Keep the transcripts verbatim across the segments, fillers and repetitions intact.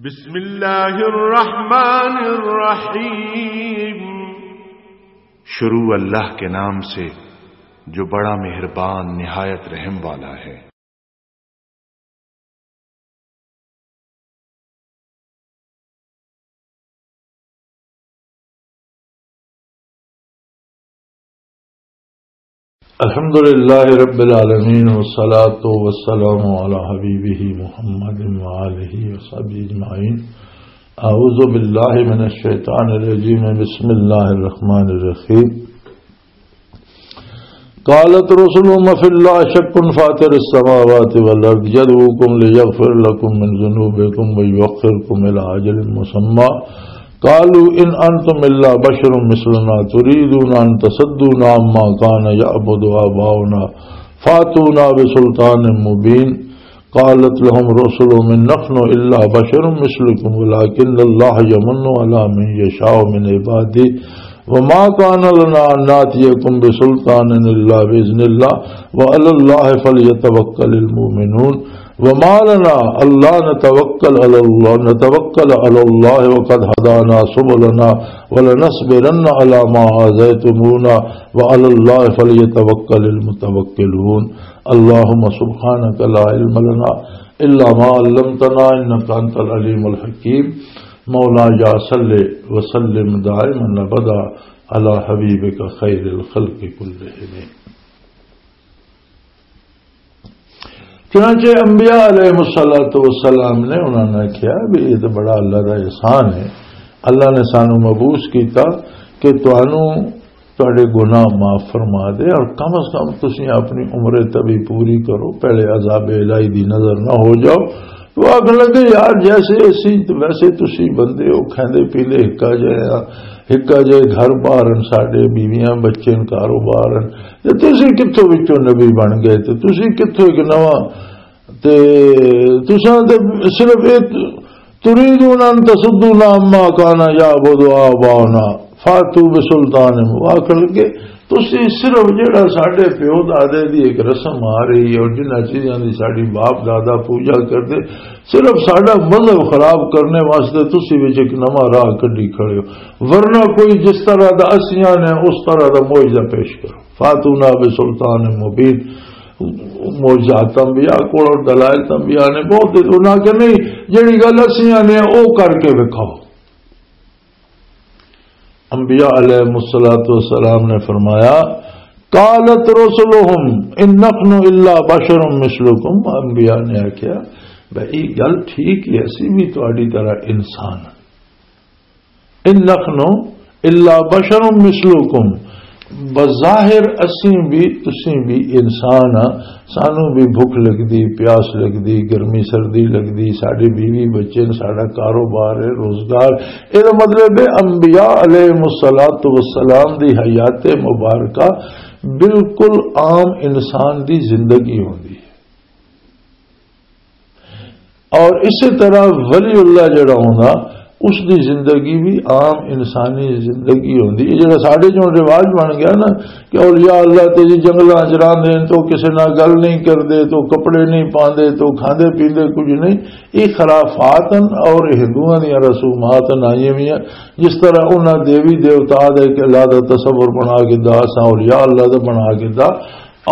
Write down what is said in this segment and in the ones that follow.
بسم اللہ الرحمن الرحیم۔ شروع اللہ کے نام سے جو بڑا مہربان نہایت رحم والا ہے۔ الحمد لله رب العالمين، والصلاة والسلام على حبيبه محمد وآله وصحبه أجمعين. أعوذ بالله من الشيطان الرجيم. بسم الله الرحمن الرحيم. قالت رسلهم أفي الله شك فاطر السماوات والأرض يدعوكم ليغفر لكم من ذنوبكم ويؤخركم إلى أجل مسمى قالوا إن أنتم إلا بشر مثلنا تريدون أن تصدونا عما كان يعبد آباؤنا فأتونا بسلطان مبين. قالت لهم رسلهم إن نحن إلا بشر مثلكم ولكن الله يمن على من يشاء من عباده وما كان لنا أن نأتيكم بسلطان إلا بإذن الله وعلى الله فليتوكل المؤمنون وما لنا ألا نتوكل على الله، نتوكل على الله وقد هدانا سبلنا ولنصبرن على ما آذيتمونا وعلى الله فليتوكل المتوكلون. اللهم سبحانك لا علم لنا إلا ما علمتنا إنك أنت العليم الحكيم. مولاي صل وسلم دائما أبدا على حبيبك خير الخلق كلهم. چنانچہ انبیاء علیہ الصلوۃ والسلام نے انہوں نے کہا بھی یہ تو بڑا اللہ کا احسان ہے، اللہ نے سانو مبعوث کیتا کہ تانوں تہاڈے گناہ معاف فرما دے، اور کم از کم تسی اپنی عمر طبی پوری کرو، پہلے عذاب الہی دی نظر نہ ہو جاؤ۔ تو آخر لگے، یار، جیسے اسی، ویسے تسی بندے ہو، کھاندے پیندے ہکا جائے آ، ہکا جائے گھر بار ہن، ساڈے بیویاں، بچے ہن، کاروبار ہن، تے تسی کتھوں وچوں نبی بن گئے؟ تے تسی کتھوں ایک نواں، تے تساں تے صرف ایک، تريدون أن تصدونا عما كان يعبد آباؤنا فأتوا بسلطان مبين۔ آخر لگے، تسی صرف جڑا ساڈے پیو دادے دی ایک رسم آ رہی ہے اور جنہاں چیزاں دی ساڈی باپ دادا پوجا کردے، صرف ساڈا مذہب خراب کرنے واسطے تسی وچ ایک نواں راہ کڈی کھڑے ہو، ورنہ کوئی جس طرح دا اسیاں نے اس طرح دا معجزہ پیش کرو۔ فاتونا بسلطان مبین، معجزات انبیاء کول اور دلائل انبیاء نے بہت دے، انہاں کہ نہیں، جڑی گل اسیاں نے او کر کے وکھاؤ۔ انبیاء علیہ الصلوۃ والسلام نے فرمایا، قالت رسلهم ان نحن الا بشر مثلكم، انبیاء نے آکھیا، بھئی گل ٹھیک ہے، اسی بھی تہاڈی طرح انسان ہاں۔ ان نحن الا بشر مثلكم، بظاہر اسیں بھی، تسیں بھی انسان ہاں، سانوں بھی بھوک لگدی، پیاس لگدی، گرمی سردی لگدی، ساڈے بیوی بچے نے، ساڈا کاروبار ہے، روزگار۔ اے دا مطلب ہے انبیاء علیہ الصلوۃ والسلام دی حیات مبارکہ بالکل عام انسان دی زندگی ہوندی ہے۔ اور اسی طرح ولی اللہ جڑا ہوندا، اس دی زندگی بھی عام انسانی زندگی ہوندی ہے۔ جڑا ساڈے چوں رواج بن گیا نا کہ اولیاء اللہ تے جی جنگلاں چ رہندے نے، تو کسے نال گل نہیں کردے، تو کپڑے نہیں پاندے، تو کھاندے پیندے کچھ نہیں، یہ خرافات ہیں اور ہندوؤں دیا رسومات ہیں، آئیے بھی ہیں۔ جس طرح انہاں دیوی دیوتا دے کہ اللہ دا تصور بنا کے دا، اساں اولیاء اللہ دا بنا کے دا،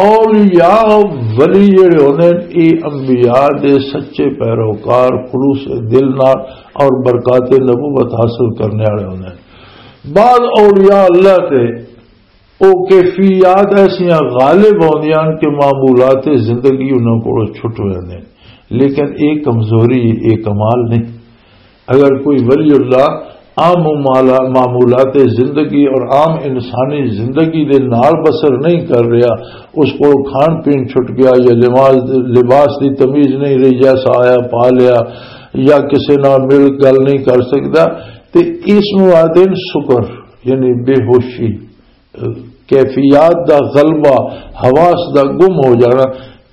اولیاء، ولی جڑے ہوندے نے، اے انبیاء دے سچے پیروکار، خلوص دل نال اور برکات نبوت حاصل کرنے والے ہوندے نے۔ بعض اولیاء اللہ تے او کیفیات ایسیاں غالب ہوندیاں نے کہ معمولات زندگی انہاں کولوں چھٹ ویندے نے۔ لیکن اے کمزوری، اے کمال نہیں۔ اگر کوئی ولی اللہ عام معاملہ-، معمولات زندگی اور عام انسانی زندگی دے نال بسر نہیں کر رہا، اس کو کھان پین چھٹ گیا یا لباس، لباس دی تمیز نہیں رہی، جیسا آیا پا لیا یا کسے نال مل گل نہیں کر سکتا، تے اس نوں آدھے نے سکر، یعنی بے ہوشی، کیفیات دا غلبہ، حواس دا گم ہو جانا۔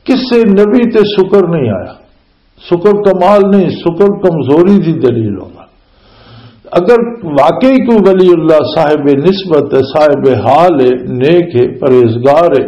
کسے نبی تے سکر نہیں آیا۔ سکر کمال نہیں، سکر کمزوری دی دلیل ہوگا۔ اگر واقعی کوئی ولی اللہ صاحب نسبت ہے، صاحب حال ہے، نیک ہے، پرہیزگار ہے،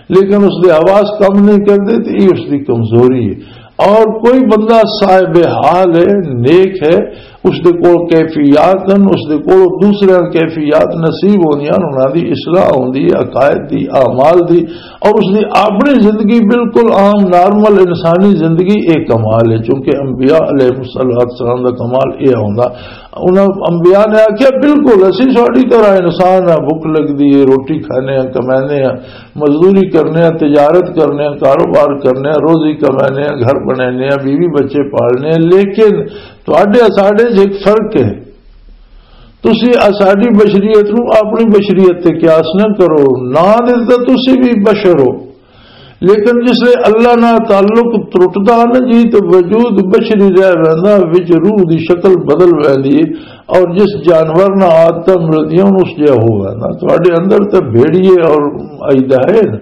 لیکن اس دے حواس کم نہیں کردے، تو یہ اس دی کمزوری ہے۔ اور کوئی بندہ صاحب حال ہے، نیک ہے، اس دے کول کیفیات ہیں، اس دے کول دوسرے کیفیات نصیب ہوندیاں، انہاں دی اصلاح ہوندی ہے، عقائد دی، اعمال دی، اور اس دی اپنی زندگی بالکل عام نارمل انسانی زندگی ایک کمال ہے، چونکہ انبیاء علیہ الصلوۃ والسلام دا کمال یہ ہوندا۔ انہاں انبیاء نے آکھیا، "بالکل اسی ساڈی طرح انسان ہاں، بھوک لگدی ہے، روٹی کھانے ہاں، کمانے ہاں، مزدوری کرنے ہاں، تجارت کرنے ہاں، کاروبار کرنے ہاں، روزی کمانے ہاں، گھر بنانے ہاں، بیوی بچے پالنے ہاں، لیکن تہاڈے ساڈے 'چ ایک فرق ہے۔ تسی ساڈی بشریت نو اپنی بشریت تے قیاس نہ کرو، نہ دے تے تسی بھی بشر ہو۔" لیکن جس لے اللہ نال تعلق ترٹدا نا جی، تے وجود بشری رہ ویندا، وچ روح دی شکل بدل ویندی ہے، اور جس جانور نال عادتاں ملدیاں، اس جہا ہو ویندا۔ تہاڈے اندر تے بھیڑیے اور ایدا ہے نا۔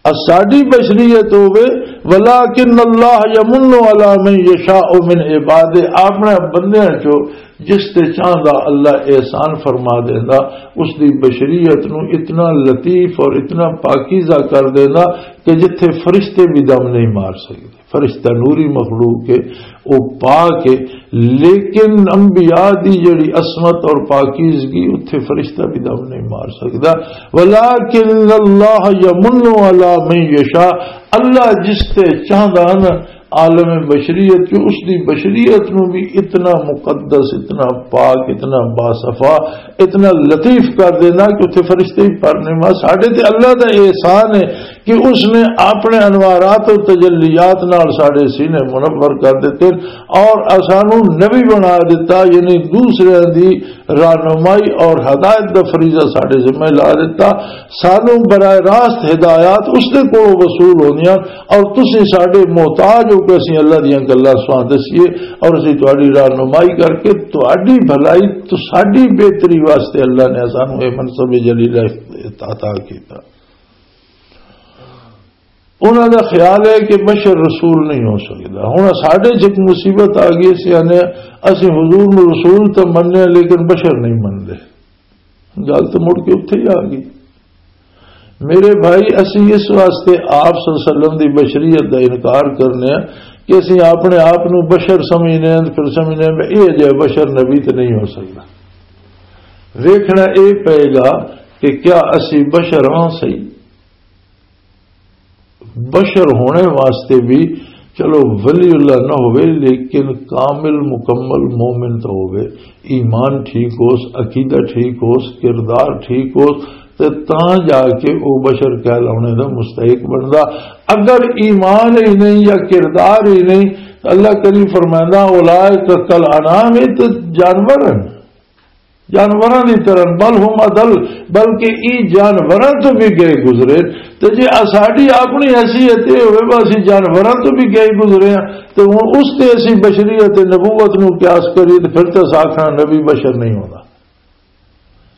آ ساڈی بشریت ہووے، "ولکن اللہ یمن علی من یشاء من عبادہ"، اپنے بندیاں چوں جس تے چاہندا اللہ احسان فرما دیندا، اس دی بشریت نو اتنا لطیف اور اتنا پاکیزہ کر دیندا کہ جتھے فرشتے بھی دم نہیں مار سکدے۔ فرشتہ نوری مخلوق ہے، او پاک ہے، لیکن انبیاء دی جڑی عصمت اور پاکیزگی، اتھے فرشتہ بھی دم نہیں مار سکدا۔ "ولکن اللہ یمن علی من یشاء"، اللہ جس تے چاہندا نا عالم بشریت، کہ اس دی بشریت نو بھی اتنا مقدس، اتنا پاک، اتنا باصفا، اتنا لطیف کر دینا کہ اتھے فرشتے ہی پر نہیں۔ ماں، ساڈے تے اللہ دا احسان ہے کہ اس نے اپنے انوارات و تجلیات نال ساڈے سینے منور کر دیتے اور اسانو نبی بنا دیتا، یعنی دوسرے دی رہنمائی اور ہدایت دا فریضہ ساڈے ذمہ لا دیتا۔ سانو براہ راست ہدایات اس دے کولوں وصول ہوندیاں، اور تسی ساڈے محتاج ہو کہ اسی اللہ دیاں گلاں سواں دسیے، اور اسی تہاڈی رہنمائی کر کے تہاڈی بھلائی، تو ساڈی بہتری واسطے اللہ نے سانو یہ منصب جلیل عطا کیتا۔ انہاں دا خیال ہے کہ بشر رسول نہیں ہو سکدا۔ ہن ساڈے چ ایک مصیبت آ گئی، اسی آنے، اسی حضور نو رسول تے مننے، لیکن بشر نہیں مننے۔ گل تو مڑ کے اتھے ہی آ گئی۔ میرے بھائی، اسی اس واسطے آپ صلی اللہ علیہ وسلم دی بشریت دا انکار کرنے ہیں کہ اسی اپنے آپ نو بشر سمجھنے ہیں، پھر سمجھنے ہیں، یہ جے بشر نبی تے نہیں ہو سکدا۔ ویکھنا اے پئے گا کہ کیا اسی بشر ہاں صحیح؟ بشر ہونے واسطے بھی، چلو، ولی اللہ نہ ہوئے، لیکن کامل مکمل مومن تو ہوئے، ایمان ٹھیک ہوس، عقیدہ ٹھیک ہوس، کردار ٹھیک ہوس، تے تاں جا کے او بشر کہلاونے دا مستحق بندا۔ اگر ایمان ہی نہیں یا کردار ہی نہیں، تو اللہ کریم فرمائندا، "اولئک کل انعام"، یہ تو جانور ہیں، جانوراں دی طرح، "بل ہم اضل"، بلکہ ای جانوراں تو بھی گئے گزرے۔ تے جے اساڈی اپنی حیثیت یہ ہوئے، بس اسی جانوراں تو بھی گئے گزرے ہیں، تے ہن اس تے اسی بشریت نبوت نو قیاس کریے، تے پھر تے اساں آکھنا نبی بشر نہیں ہونا۔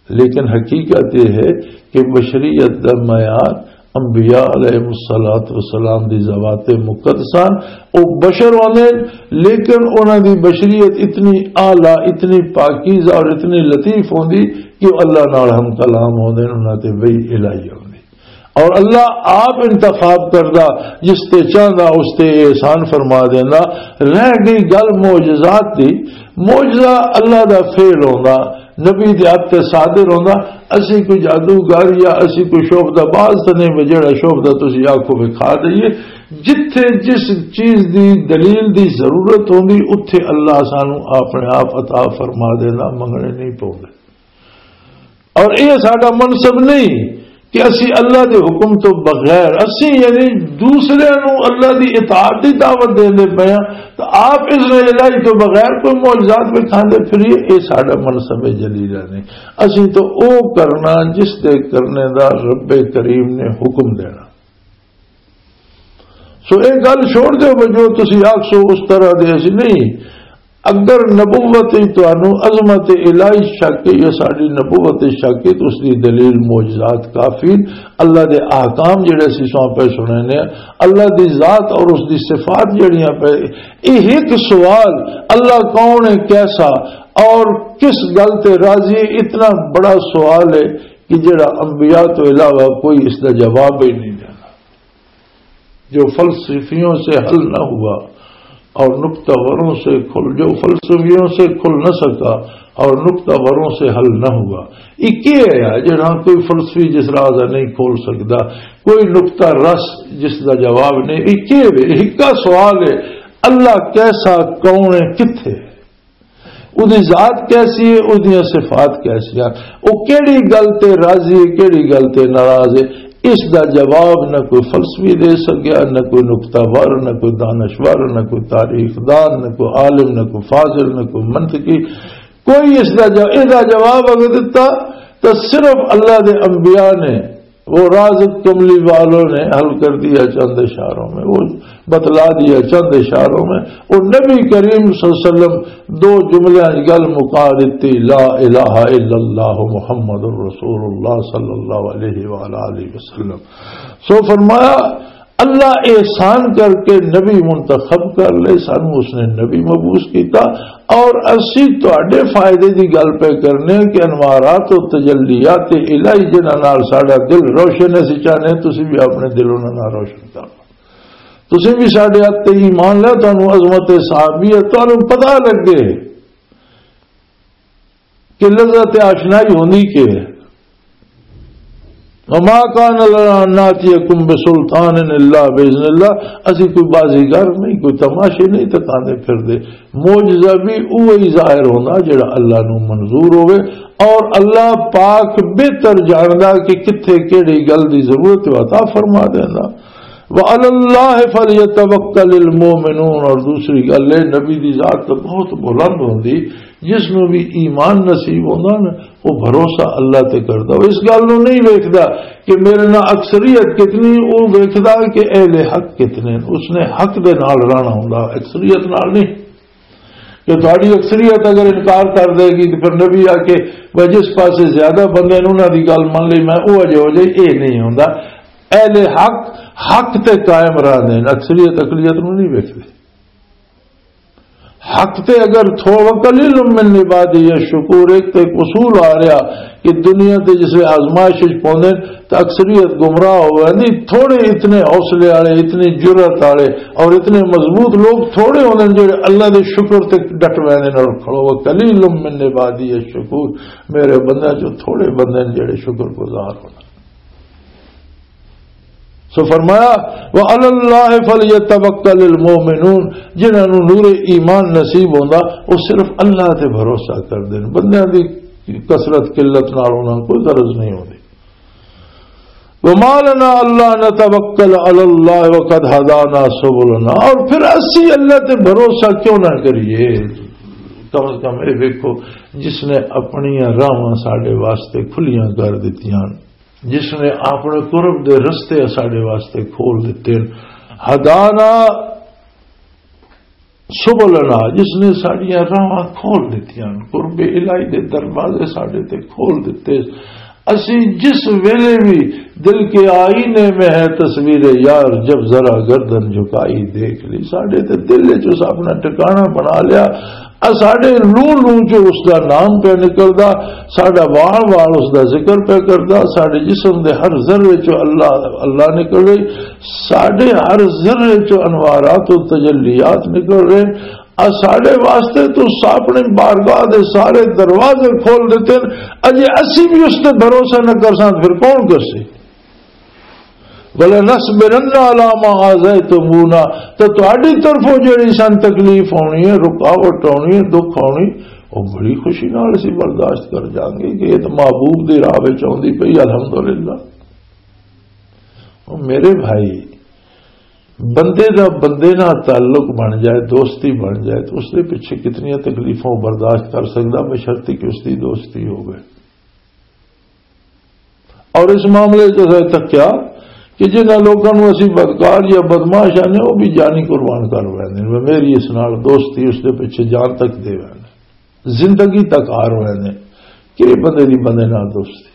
لیکن حقیقت یہ ہے کہ بشریت دا معیار انبیاء علیہ الصلوۃ والسلام دی ذوات مقدسان، او بشر ہوندے، لیکن انہاں دی بشریت اتنی اعلیٰ، اتنی پاکیزہ اور اتنی لطیف ہوندی کہ او اللہ نال ہم کلام ہوندے، انہاں تے وحی الہی ہوندی۔ اور اللہ آپ انتخاب کردا، جس تے چاہندا اس تے احسان فرما دیندا۔ رہ گئی گل معجزات دی، معجزہ اللہ دا فعل ہوندا، نبی دے ہتھ تے صادر ہوندا۔ اسی کوئی جادوگر یا اسی کوئی شعبدہ باز تے نہیں، جڑا شعبدہ تسی آکھو وکھا دئیے۔ جتھے جس چیز دی دلیل دی ضرورت ہوندی، اتھے اللہ سانو اپنے آپ عطا فرما دیندا، منگنے نہیں پوندے۔ اور یہ ساڈا منصب نہیں کہ اسی اللہ دے حکم تو بغیر، اسی یعنی دوسرے نو اللہ دی اطاعت دی دعوت دیندے پئے ہاں، تو آپ اس الہی تو بغیر کوئی معجزات وکھاندے پھریے، یہ ساڈا منصب جلیلہ نہیں۔ اسی تو او کرنا جس دے کرنے دا رب کریم نے حکم دینا۔ سو ایک گل چھوڑ دیو، بھئی جو تسی آکھسو اس طرح دے اسی نہیں۔ اگر نبوت وچ تانوں عظمت الہی شک ہے یا ساڈی نبوت وچ شک ہے، تو اس دی دلیل معجزات کافی ہیں۔ اللہ دے احکام جڑے اسی سو پہ سننے ہیں، اللہ دی ذات اور اس دی صفات جڑیاں پہ، یہ ایک سوال، اللہ کون ہے، کیسا اور کس گل تے راضی ہے، اتنا بڑا سوال ہے کہ جڑا انبیاء تو علاوہ کوئی اس دا جواب ہی نہیں دینا۔ جو فلسفیوں سے حل نہ ہوا اور نقطہ وروں سے کھل جو فلسفیوں سے کھل نہ سکا اور نقطہ وروں سے حل نہ ہوا۔ یہ کیا ہے جہاں کوئی فلسفی جس راز نہیں کھول سکتا، کوئی نقطہ رس جس کا جواب نہیں؟ یہ کیا ہے؟ یہ کا سوال ہے، اللہ کیسا، کون ہے، کتھے ہے؟ اودی ذات کیسی ہے، اودیاں صفات کیسیاں، او کیڑی گل تے راضی ہے، کیڑی گل تے ناراض ہے، اس دا جواب نہ کوئی فلسفی دے سکیا، نہ کوئی نقطہ ور، نہ کوئی دانشور، نہ کوئی تاریخ دان، نہ کوئی عالم، نہ کوئی فاضل، نہ کوئی منطقی۔ کوئی اس دا جو-، اس دا جواب اگر دتا تو صرف اللہ دے انبیاء نے، وہ راز کملی والوں نے حل کر دیا چند اشاروں میں، وہ بتلا دیا چند اشاروں میں۔ وہ نبی کریم صلی اللہ علیہ وسلم دو جملے گل مکا دیتی، لا الہ الا اللہ محمد رسول اللہ صلی اللہ علیہ وآلہ وسلم۔ سو فرمایا، اللہ احسان کر کے نبی منتخب کر لے، سانو اس نے نبی مبعوث کیتا، اور اسی تہاڈے فائدے دی گل پہ کرنے کہ انوارات و تجلیات الہی جنہاں نال ساڈا دل روشن ہے، اسی چاہنے تسی بھی اپنے دل انہاں نال روشن کر لو۔ تسی بھی ساڈے ہاتھ تے ایمان لے، تانوں عظمت صحابیت تانوں پتہ لگے کہ لذت آشنائی ہوندی کی ہے۔ وما کان لنا ان ناتیکم بسلطان الا باذن اللہ، اسی کوئی بازیگر نہیں، کوئی تماشے نہیں تکاندے پھر دے۔ معجزہ بھی اوہی ظاہر ہونا جڑا اللہ نو منظور ہوئے، اور اللہ پاک بہتر جاندا کہ کتھے کیڑی گل دی ضرورت ہے، عطا فرما دیندا۔ وعلی اللہ فلیتوکل المؤمنون، اور دوسری گل ہے، نبی دی ذات تو بہت بلند ہوندی، جس نو بھی ایمان نصیب ہوندا نا، وہ بھروسہ اللہ تے کردا۔ وہ اس گل نو نہیں ویکھدا کہ میرے نال اکثریت کتنی، وہ ویکھدا کہ اہل حق کتنے۔ اس نے حق دے نال رہنا ہوندا، اکثریت نال نہیں۔ کہ تہاڈی اکثریت اگر انکار کر دے گی تو پھر نبی آ کے وہ جس پاسے زیادہ بندے نے انہاں دی گل من لئی، میں وہ اجے ہو جائی، یہ نہیں ہوندا۔ اہل حق حق تے قائم رہندے نے، اکثریت اقلیت نو نہیں ویکھدے۔ حق تے اگر تھوڑا، قلیل من عبادی الشکور، ایک تے ایک اصول آ رہا کہ دنیا تے جس ویلے آزمائش وچ پوندے نے تے اکثریت گمراہ ہو ویندی، تھوڑے اتنے حوصلے والے، اتنی جرأت والے اور اتنے مضبوط لوگ تھوڑے ہوندے نے جڑے اللہ دے شکر تے ڈٹ ویندے نے اور کھڑو۔ وقلیل من عبادی الشکور، میرے بندیاں چوں تھوڑے بندے نے جڑے شکر گزار ہوندے۔ سو فرمایا، وعلی اللہ فلیتوکل المؤمنون، جنہاں نوں نور ایمان نصیب ہوندا، وہ صرف اللہ تے بھروسہ کردے نے۔ بندیاں دی کثرت قلت نال انہاں کوئی غرض نہیں ہوندی۔ وما لنا الا نتوکل علی اللہ وقد ہدانا سبلنا، اور پھر اسی اللہ تے بھروسہ کیوں نہ کریے؟ کم از کم یہ دیکھو، جس نے اپنی راہواں ساڈے واسطے کھلیاں کر دتیاں، جس نے اپنے قرب دے رستے ساڈے واسطے کھول دتے، ہدانا سبلنا، جس نے ساڈیاں راہاں کھول دتیاں، قرب الہی دے دروازے ساڈے تے کھول دتے۔ اسی جس ویلے بھی دل کے آئینے میں ہے تصویر یار، جب ذرا گردن جھکائی دیکھ لی، ساڈے تے دل وچ اس اپنا ٹھکانہ بنا لیا۔ آ ساڈے لوں لوں چ اس دا نام پہ نکلدا، ساڈا وال وال اس دا ذکر پہ کردا، ساڈے جسم دے ہر ذرے چ اللہ اللہ نکل رہی، ساڈے ہر ذرے چ انوارات و تجلیات نکل رہے۔ آ ساڈے واسطے تو اپنی بارگاہ دے سارے دروازے کھول دیتے ہیں۔ اجے اسی بھی اس تے بھروسہ نہ کر ساں، پھر کون کر سی؟ وَلَنَصْبِرَنَّ عَلَىٰ مَا آذَيْتُمُونَا، تے تہاڈی طرفوں جڑی سان تکلیف ہونی ہے، رکاوٹ ہونی ہے، دکھ ہونی، وہ بڑی خوشی نال اسی برداشت کر جاؤں گے کہ یہ تو محبوب دی راہ وچ آوندی پئی، الحمدللہ۔ او میرے بھائی، بندے دا بندے نال تعلق بن جائے، دوستی بن جائے، تو اس دے پیچھے کتنی تکلیفوں برداشت کر سکدا، بشرطیکہ اس دی دوستی ہوے۔ اور اس معاملے چ اساں تکیا کہ جنہاں لوکاں نوں اسی بدکار یا بدمعاش آنے، وہ بھی جانی قربان کر ویندے نے۔ میری اس نال دوستی، اس دے پیچھے جان تک دے ویندے، زندگی تک ہار ویندے کہ یہ بندے دی بندے نال دوستی۔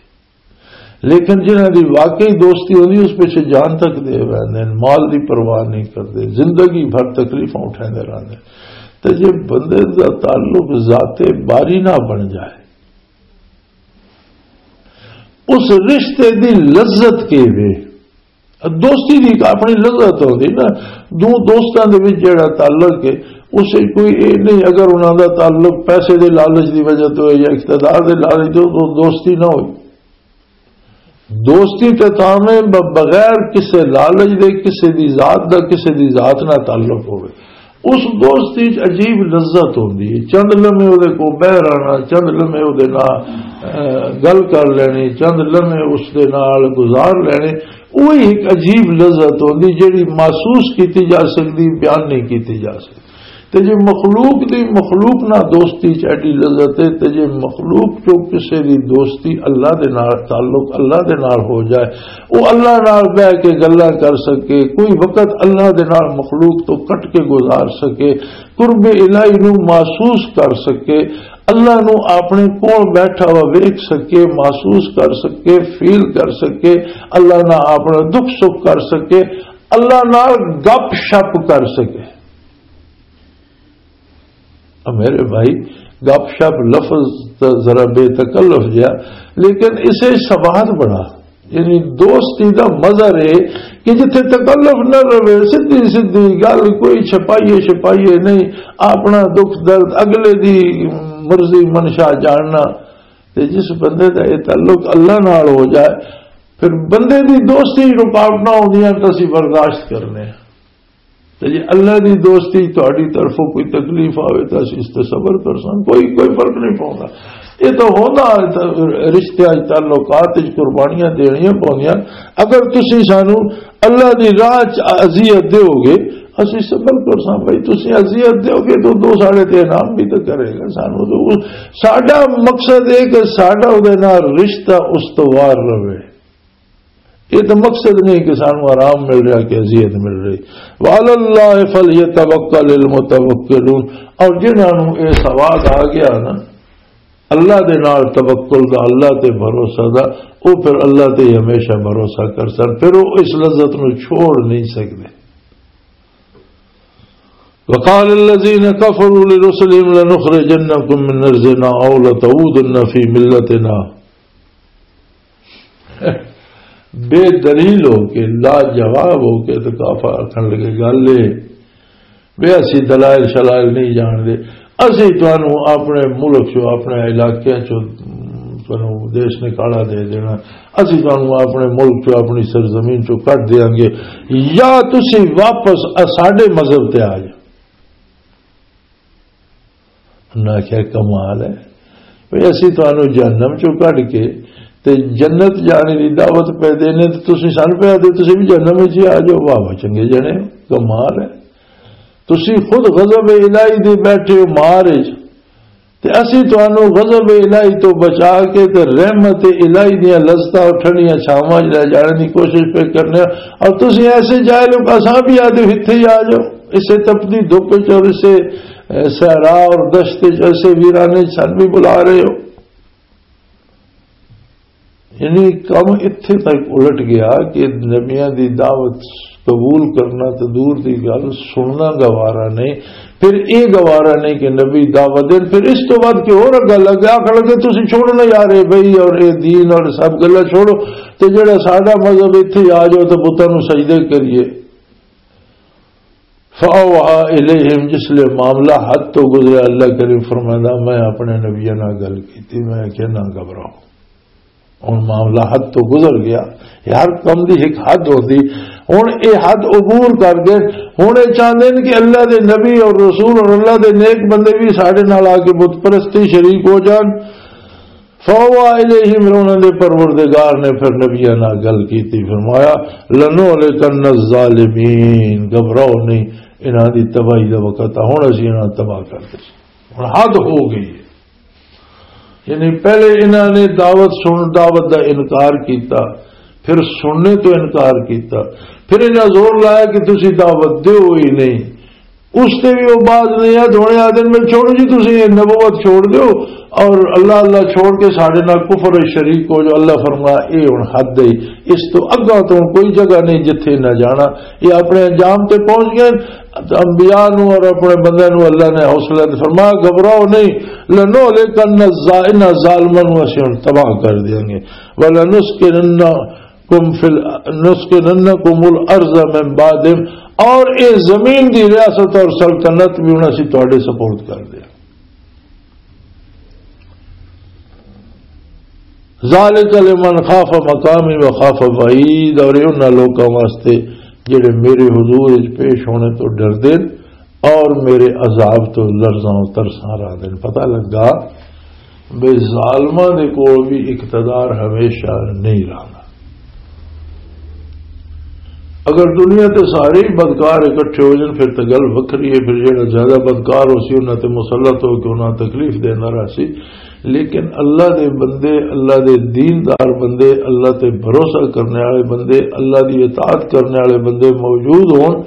لیکن جنہاں دی واقعی دوستی ہوندی، اس پیچھے جان تک دے ویندے نے، مال دی پرواہ نہیں کردے، زندگی بھر تکلیفاں اٹھاندے رہندے۔ تے جے بندے دا تعلق ذات باری نہ بن جائے، اس رشتے دی لذت کے وے؟ دوستی دی ایک اپنی لذت ہوندی نا۔ دو دوستاں دے وچ جڑا تعلق ہے، اس وچ کوئی یہ نہیں، اگر انہاں دا تعلق پیسے دے لالچ دی وجہ تو ہے یا اقتدار دے لالچ تو، تو دوستی نہ ہوئی۔ دوستی تے تاں میں ب-، بغیر کسے لالچ دے، کسے دی ذات دا، کسے دی ذات نہ تعلق ہوئے۔ اس دوستی چ عجیب لذت ہوندی ہے۔ چند لمحے اودے کو بہ رہنا، چند لمحے اودے نال، اے، گل کر لینی، چند لمحے اس دے نال گزار لینے، وہی ایک عجیب لذت ہوندی جیڑی محسوس کیتی جا سکدی، بیان نہیں کیتی جا سکدی۔ تے جے مخلوق دی، مخلوق نال دوستی چ ایڈی لذت ہے، تے جے مخلوق چوں کسے دی دوستی، اللہ دے نال تعلق اللہ دے نال ہو جائے، او اللہ نال بہ کے گلاں کر سکے، کوئی وقت اللہ دے نال مخلوق تو کٹ کے گزار سکے، قرب الہی نو محسوس کر سکے، اللہ نو اپنے کول بیٹھا ہوا ویکھ سکے، محسوس کر سکے، فیل کر سکے، اللہ نال اپنا دکھ سکھ کر سکے، اللہ نال گپ شپ کر سکے۔ میرے بھائی، گپ شپ لفظ ذرا بے تکلف جہا، لیکن اسے سواد بڑا، یعنی دوستی دا مزہ رہے کہ جتھے تکلف نہ رہے، سدھی سدھی گل، کوئی چھپائیے چھپائیے نہیں، اپنا دکھ درد، اگلے دی مرضی منشا جاننا۔ تے جس بندے دا یہ تعلق اللہ نال ہو جائے، پھر بندے دی دوستی رکاوٹاں آؤندیاں تو اسی برداشت کرنے ہیں۔ تے جے اللہ دی دوستی تہاڈی طرفوں کوئی تکلیف آوے تاں اسی اس تے صبر کرساں، کوئی، کوئی فرق نہیں پوندا۔ یہ تو ہوندا ہے، رشتیاں وچ، تعلقات وچ قربانیاں دینیاں پوندیاں۔ اگر تسی سانو اللہ دی راہ چ اذیت دیو گے، اسی صبر کرساں۔ بھائی، تسی اذیت دیو گے تو دو ساڑھے تے انعام بھی تو کرے گا سانو۔ تو ساڈا مقصد ہے کہ ساڈا اودے نال رشتہ استوار رہے۔ یہ تو مقصد نہیں کہ سانو آرام مل رہا کہ اذیت مل رہی۔ وَعَلَى اللَّهِ فَلْيَتَوَكَّلِ الْمُتَوَكِّلُونَ۔ اور جنہاں نوں یہ سواد آ گیا نا اللہ دے نال توکل دا، اللہ تے بھروسہ دا، وہ پھر اللہ تے ہی ہمیشہ بھروسہ کر سن، پھر وہ اس لذت نو چھوڑ نہیں سکدے۔ وقال الذين كفروا لرسلهم لنخرجنكم من أرضنا أو لتعودن في ملتنا۔ بے دلیل ہو کے، لاجواب ہو کے تو کافر آکھن لگے، گل اے، بے اسی دلائل شلائل نہیں جان دے، اسی تانوں اپنے ملک چوں، اپنے علاقے چوں، تانوں دیش نکالا دے دینا، اسی تانوں اپنے ملک چوں، اپنی سرزمین چوں کٹ دیاں گے، یا تسی واپس ساڈے مذہب تے آ جاؤ۔ انہاں آکھیا، "کمال ہے، بھئی اسی تانوں جہنم چوں کڈ کے تے جنت جانے دی دعوت پہ دینے تے تسی سانوں پہ آدھے تسی بھی جہنم وچ ہی آ جاؤ، واہ واہ، چنگے جنے ہو، کمال ہے۔ تسی خود غضب الہی دے بیٹھے ہو مار وچ، تے اسی تانوں غضب الہی تو بچا کے تے رحمت الہی دیاں لذتاں اور ٹھنڈیاں چھاواں وچ لے جانے دی کوشش پہ کرنے ہو، اور تسی ایسے جاہل ہو کہ اساں بھی آدھے اتھے ہی آ جاؤ، اسے تپدی دھوپ وچ اور اسے صحرا اور دشت وچ ایسے ویرانے وچ سن بھی بلا رہے ہو۔" یعنی کم اتھے تک الٹ گیا کہ نبیاں دی دعوت قبول کرنا تے دور دی گل، سننا گوارا نہیں۔ پھر اے گوارا نہیں کہ نبی دعوت دین، پھر اس تو بعد کہ اور گل اگے آکھن لگے، "تسی چھوڑو نا یار، اے بھائی اور اے دین اور سب گلاں چھوڑو، تے جڑا ساڈا مذہب اتھے آ جاؤ تے بتاں نوں سجدے کریے۔" فَأَوْحَىٰ إِلَيْهِمْ، جس لئے معاملہ حد تو گزریا، اللہ کریم فرمائندا، میں اپنے نبیاں نال گل کیتی، میں آکھیا، "نہ گھبراؤ۔" ہن معاملہ حد تو گزر گیا، ہر کم دی ایک حد ہوندی، ہن اے حد عبور کر گئے، ہن اے چاہندے نے کہ اللہ دے نبی اور رسول اور اللہ دے نیک بندے بھی ساڈے نال آ کے بت پرستی شریک ہو جان۔ فَأَوْحَىٰ إِلَيْهِمْ، پھر انہاں دے پروردگار نے پھر نبیاں نال گل کیتی، فرمایا، "لَنُهْلِكَنَّ الظَّالِمِينَ"، گھبراؤ نہیں، انہاں دی تباہی دا وقت آ، ہن اسی انہاں نوں تباہ کر دے۔ ہن حد ہو گئی ہے۔ یعنی پہلے انہاں نے دعوت سن، دعوت دا انکار کیتا، پھر سننے تو انکار کیتا، پھر انہاں زور لایا کہ تسی دعوت دیو ہی نہیں۔ اس تے بھی وہ باز نہیں ہے، دونے آدھے میں چھوڑو جی، تسی یہ نبوت چھوڑ دیو اور اللہ اللہ چھوڑ کے ساڈے نال کفر شریک ہو جو۔ اللہ فرمایا، "اے ہن حد ہے، اس تو اگاں تو کوئی جگہ نہیں جتھے نہ جانا۔" یہ اپنے انجام تے پہنچ گئے۔ انبیاء نو اور اپنے بندے نو اللہ نے حوصلہ دے فرمایا، "گھبراؤ نہیں، لَنُهْلِكَنَّ الظَّا-، انہاں ظالماں نو اسی ہن تباہ کر دیاں گے، وَلَنُسْكِنَنَّ، کم فی ال-، نسکننکم الارض من بعدہم، اور اے زمین دی ریاست اور سلطنت بھی انہاں سی تواڈے سپورٹ کر دیا۔ ذالک لمن خاف مقامی و خاف وعید، اور یہ انہاں لوکاں واسطے جڑے میرے حضور وچ پیش ہونے تو ڈردے اور میرے عذاب تو لرزاں و ترساں رہندے۔ پتہ لگا بے ظالماں دے کول بھی اقتدار ہمیشہ نہیں رہنا۔ اگر دنیا تے سارے ہی بدکار اکٹھے ہو جان، پھر تے گل وکھری ہے۔ پھر جڑا زیادہ بدکار ہو سی، انہاں تے مسلط ہو کے انہاں تکلیف دیندا رہ سی۔ لیکن اللہ دے بندے، اللہ دے دیندار بندے، اللہ تے بھروسہ کرنے والے بندے، اللہ دی اطاعت کرنے والے بندے موجود ہون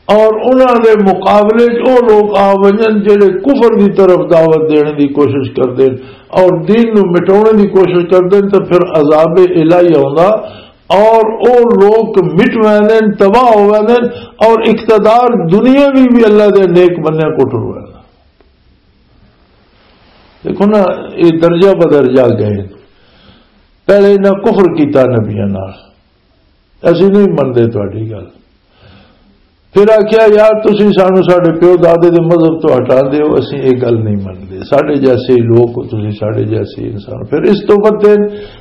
اور انہاں دے مقابلے 'چ او لوگ آ ونجن جڑے کفر دی طرف دعوت دینے دی کوشش کردے اور دین نو مٹاونے دی کوشش کردے، تے پھر عذاب الہی آوندا اور او لوگ مٹ ویندے، تباہ ہو ویندے اور اقتدار دنیاوی بھی اللہ دے نیک بندیاں کو ٹر ویندا۔ دیکھو نا، یہ درجہ بدرجہ گئے۔ پہلے انہاں کفر کیتا نبیاں نال، اسی نہیں منتے تہاڈی گل۔ پھر آکھیا، "یار، تسی سانو ساڈے پیو دادے دے مذہب تو ہٹا دیو، اسی یہ گل نہیں منتے۔ ساڈے جیسے ہی لوگ ہو تسی، ساڈے جیسے ہی انسان۔" پھر اس تو بدے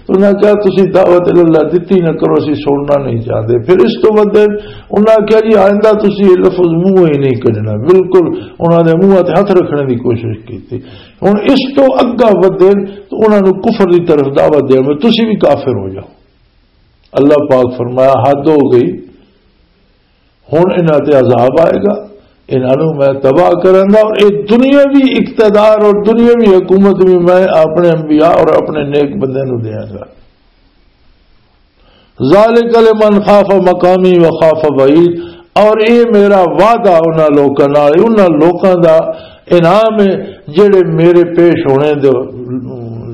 انہاں کہا، "تسی دعوت اللہ دتی نہ کرو، اسی سننا نہیں چاہتے۔" پھر اس تو بدے انہاں کہا، "جی، آئندہ تسی یہ لفظ منہ ہی نہیں کڈنا۔" بالکل انہاں دے منہ تے ہاتھ رکھنے دی کوشش کی۔ ہن اس تو اگا ودے تو انہاں نوں کفر دی طرف دعوت دے میں، "تسی بھی کافر ہو جاؤ۔" اللہ پاک فرمایا، "حد ہو گئی، ہن انہاں تے عذاب آئے گا، انہاں نوں میں تباہ کروں گا، اور یہ دنیاوی اقتدار اور دنیاوی حکومت بھی میں اپنے انبیاء اور اپنے نیک بندے نوں دیاں گا۔" ذالک لمن خاف مقامی و خاف بعید، اور اے میرا وعدہ انہاں لوکاں نال، انہاں لوکاں دا انعام ہے جڑے میرے پیش ہونے دے،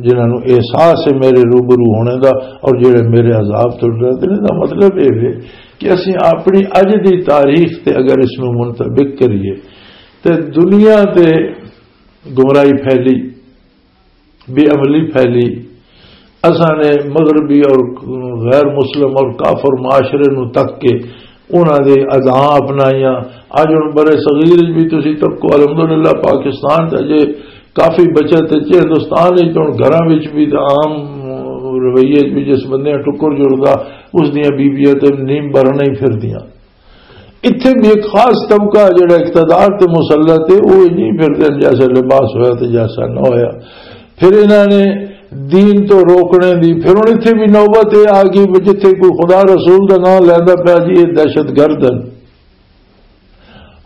جنہاں نوں احساس ہے میرے روبرو ہونے دا، اور جڑے میرے عذاب تو ڈردے نے۔ دا مطلب اے وے کہ اسیں اپنی اج دی تاریخ تے اگر اس نوں منطبق کریے تے دنیا تے گمراہی پھیلی، بے عملی پھیلی۔ اساں نے مغربی اور غیر مسلم اور کافر معاشرے نوں تک کے انہاں دے اداں اپنائیاں۔ اج ہن برے صغیر وچ بھی تسی تکو، الحمدللہ پاکستان تے اجے کافی بچت ہے۔ ہندوستان وچ ہن گھراں وچ بھی تے عام رویے وچ بھی جس بندے ٹکر جڑدا، اس دیاں بیبیاں تے نیم برن ہی پھردیاں۔ اتھے بھی ایک خاص طبقہ جڑا اقتدار تے مسلط ہے، وہ نہیں پھردے جیسا لباس ہویا تے جیسا نہ ہویا۔ پھر انہاں نے دین تو روکنے دی، پھر ہن اتھے بھی نوبت یہ آ گئی بھی جتھے کوئی خدا رسول دا نام لیندا پیا جی، یہ دہشت گرد ہیں۔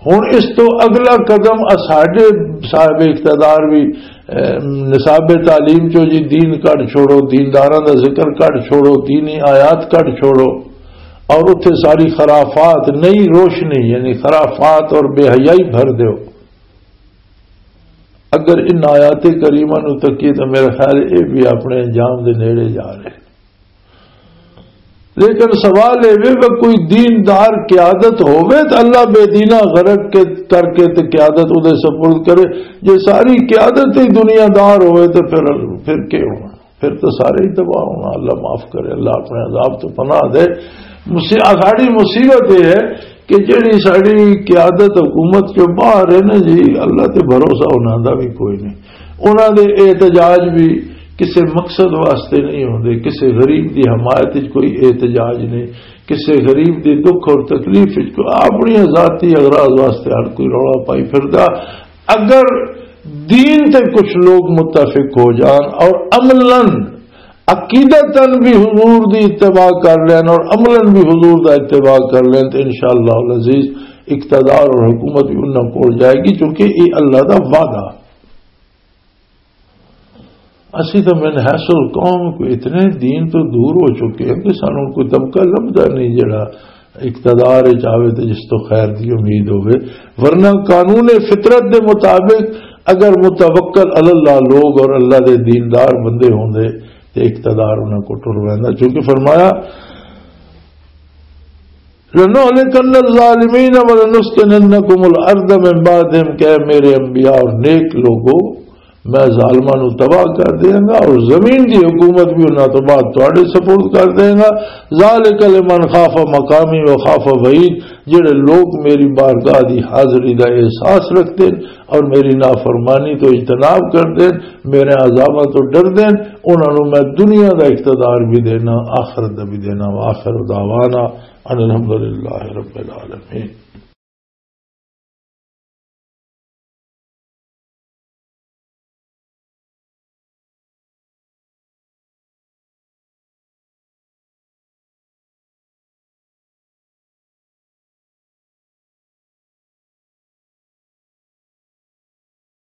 ہن اس تو اگلا قدم اساڈے صاحب اقتدار بھی، اے، نصاب تعلیم چو جی دین کڈ چھوڑو، دینداراں دا ذکر کڈ چھوڑو، دینی آیات کڈ چھوڑو، اور اتھے ساری خرافات، نئی روشنی، یعنی خرافات اور بے حیائی بھر دیو۔ اگر ان آیات کریمہ نو تکیے تو میرا خیال ہے یہ بھی اپنے انجام دے نیڑے جا رہے۔ لیکن سوال یہ وے کہ کوئی دیندار قیادت ہوے تو اللہ بے دینہ غرق کے، کر کے تے قیادت ادے سپرد کرے۔ جے ساری قیادت ہی دنیا دار ہوے تو پھر، پھر کیا ہونا؟ پھر تو سارے ہی تباہ ہونا۔ اللہ معاف کرے، اللہ اپنے عذاب تو پناہ دے۔ مصی-، ساڑی مصیبت یہ ہے کہ جڑی ساڑی قیادت حکومت چوں باہر ہے نا جی، اللہ تے بھروسہ انہاں دا بھی کوئی نہیں۔ انہاں دے احتجاج بھی کسے مقصد واسطے نہیں ہوندے، کسے غریب دی حمایت وچ کوئی احتجاج نہیں، کسے غریب دے دکھ اور تکلیف وچ کوئی اپنی ذاتی اغراض واسطے ہر کوئی رولا پائی پھردا۔ اگر دین تے کچھ لوگ متفق ہو جان اور عملاً، عقیدتاً بھی حضور دی اتباع کر لین اور عملاً بھی حضور دا اتباع کر لین تو انشاءاللہ العزیز اقتدار اور حکومت بھی انہاں کول جائے گی، کیونکہ یہ اللہ دا وعدہ۔ اسی تو من حیث القوم کو اتنے دین تو دور ہو چکے ہیں کہ سانوں کوئی طبقہ لبھدا نہیں جڑا اقتدار وچ آوے تے جس تو خیر دی امید ہوے، ورنہ قانون فطرت دے مطابق اگر متوکل علی اللہ لوگ اور اللہ دے دیندار بندے ہوندے تے اقتدار انہاں کو ٹر ویندا۔ چونکہ فرمایا، "لَنُهْلِكَنَّ الظَّالِمِينَ وَلَنُسْكِنَنَّكُمُ الْأَرْضَ مِنْ بَعْدِهِمْ"، کہ اے میرے انبیاء اور نیک لوگو، میں ظالماں نوں تباہ کر دیاں گا اور زمین دی حکومت بھی انہاں تو بعد تواڈے سپرد کر دیاں گا۔ ذالک لمن خاف مقامی و خاف وعید، جڑے لوگ میری بارگاہ دی حاضری دا احساس رکھتے ہیں اور میری نافرمانی تو اجتناب کردے ہیں، میرے عذاباں تو ڈردے ہیں، انہاں نوں میں دنیا دا اقتدار بھی دینا، آخرت دا بھی دینا۔ وآخر دعوانا ان الحمدللہ رب العالمین۔